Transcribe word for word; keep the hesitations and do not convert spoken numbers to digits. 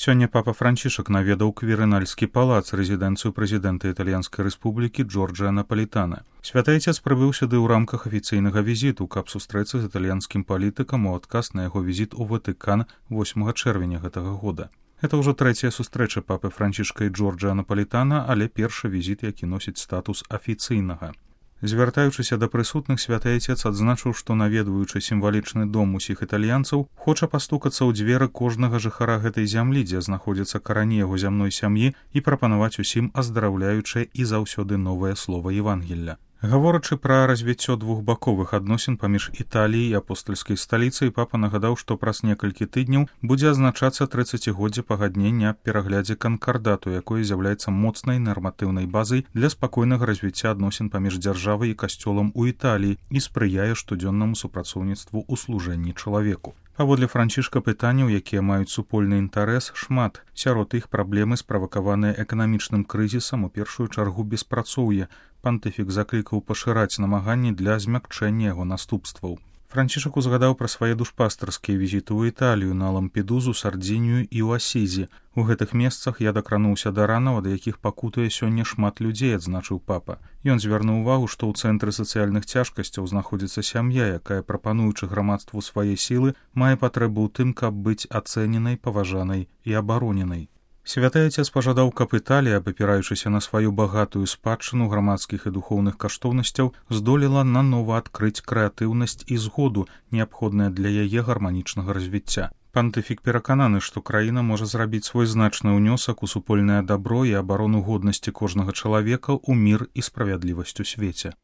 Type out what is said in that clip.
Сёння папа Францішак наведаў Квірынальскі палац, рэзідэнцыю прэзідэнта Італьянскай рэспублікі Джорджа Напалітана. Святы Айцец прыбыў сюды ў рамках афіцыйнага візіту, каб сустрэцца з італьянскім палітыкам у адказ на яго візіт у Ватыкан восьмага чэрвеня гэтага года. Гэта ўжо трэцяя сустрэча папы Францішка і Джорджа Напалітана, але першы візіт, які носіць статус афіцыйнага. Звяртаючыся да прысутных, святы Айцец адзначыў, што наведваючы сімвалічны дом усіх італьянцаў, хоча пастукацца ў дзверы кожнага жыхара гэтай зямлі, дзе знаходзяцца карані яго зямной сям'і, і прапанаваць усім аздараўляючае і заўсёды новае слова Евангелля. Гаворачы пра развіццё двухбаковых адносін паміж Італіяй і апостальскай сталіцай, папа нагадаў, што праз некалькі тыдняў будзе адзначацца трыццацігоддзе пагаднення аб пераглядзе канкардату, якое з'яўляецца моцнай нарматыўнай базай для спакойнага развіцця адносін паміж дзяржавай і касцёлам у Італіі і спрыяе штодзённаму супрацоўніцтву ў служэнні чалавеку. Паводле Францішка пытанняў, якія маюць супольны інтарэс, шмат. Сярод іх праблемы, справакаваныя эканамічным крызісам, у першую чаргу беспрацоўе. Пантыфік заклікаў пашыраць намаганні для змякчэння яго наступстваў. Францішак узгадаў пра свае душпастарскія візіты ў Італію, на Лампедузу, Сардзінію і ў Асізі. У гэтых месцах я дакрануўся да ранаў, ад якіх пакутуе сёння шмат людзей, адзначыў папа. Ён звярнуў увагу, што ў цэнтры сацыяльных цяжкасцяў знаходзіцца сям'я, якая, прапануючы грамадству свае сілы, мае патрэбу ў тым, каб быць ацэненай, паважанай і абароненай. Святы Айцец пажадаў, каб Італія, абапіраючыся на сваю багатую спадчыну грамадскіх і духоўных каштоўнасцяў, здолела нанова адкрыць крэатыўнасць і згоду, неабходная для яе гарманічнага развіцця. Пантыфік перакананы, што краіна можа зрабіць свой значны ўнёсак у супольнае дабро і абарону годнасці кожнага чалавека ў мір і справядлівасць у свеце.